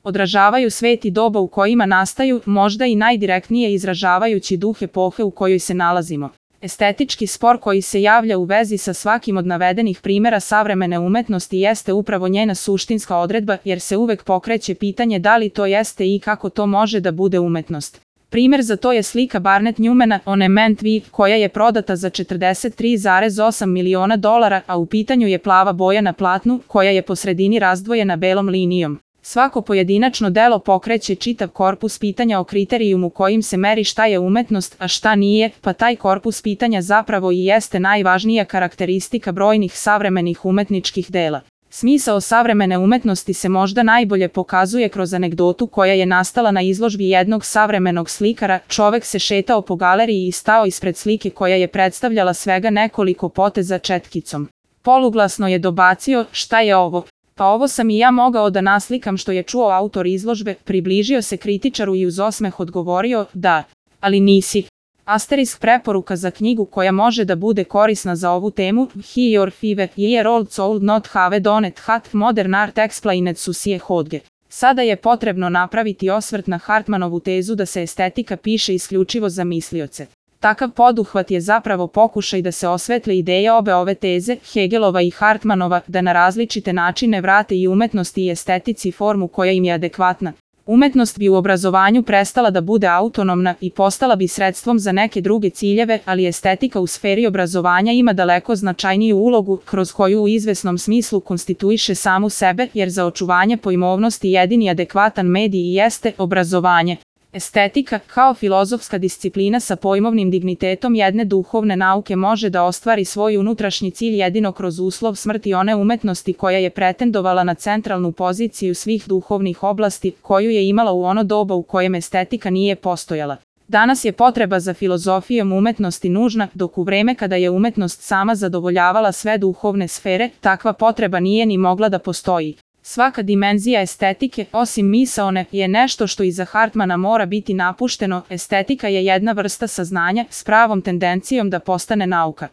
Odražavaju svet i doba u kojima nastaju, možda i najdirektnije izražavajući duh epohe u kojoj se nalazimo. Estetički spor koji se javlja u vezi sa svakim od navedenih primjera savremene umetnosti jeste upravo njena suštinska odredba, jer se uvek pokreće pitanje da li to jeste i kako to može da bude umetnost. Primjer za to je slika Barnett Newmana On a Ment V, koja je prodata za $43,8 miliona, a u pitanju je plava boja na platnu, koja je po sredini razdvojena belom linijom. Svako pojedinačno delo pokreće čitav korpus pitanja o kriterijumu kojim se meri šta je umetnost, a šta nije, pa taj korpus pitanja zapravo i jeste najvažnija karakteristika brojnih savremenih umetničkih dela. Smisao savremene umetnosti se možda najbolje pokazuje kroz anegdotu koja je nastala na izložbi jednog savremenog slikara. Čovek se šetao po galeriji i stao ispred slike koja je predstavljala svega nekoliko poteza četkicom. Poluglasno je dobacio: "Šta je ovo?" "Pa ovo sam i ja mogao da naslikam", što je čuo autor izložbe. Približio se kritičaru i uz osmeh odgovorio: "Da, ali nisi." Asterisk preporuka za knjigu koja može da bude korisna za ovu temu: He your 5-year-old soul not have donut hat modern art explained Susie Hodge. Sada je potrebno napraviti osvrt na Hartmanovu tezu da se estetika piše isključivo za mislioce. Takav poduhvat je zapravo pokušaj da se osvetle ideje obe ove teze, Hegelova i Hartmanova, da na različite načine vrate i umetnosti i estetici formu koja im je adekvatna. Umetnost bi u obrazovanju prestala da bude autonomna i postala bi sredstvom za neke druge ciljeve, ali estetika u sferi obrazovanja ima daleko značajniju ulogu, kroz koju u izvesnom smislu konstituiše samu sebe, jer za očuvanje pojmovnosti jedini adekvatan medij jeste obrazovanje. Estetika, kao filozofska disciplina sa pojmovnim dignitetom jedne duhovne nauke, može da ostvari svoj unutrašnji cilj jedino kroz uslov smrti one umetnosti koja je pretendovala na centralnu poziciju svih duhovnih oblasti, koju je imala u ono doba u kojem estetika nije postojala. Danas je potreba za filozofijom umetnosti nužna, dok u vreme kada je umetnost sama zadovoljavala sve duhovne sfere, takva potreba nije ni mogla da postoji. Svaka dimenzija estetike, osim misaone, je nešto što iza Hartmana mora biti napušteno. Estetika je jedna vrsta saznanja s pravom tendencijom da postane nauka.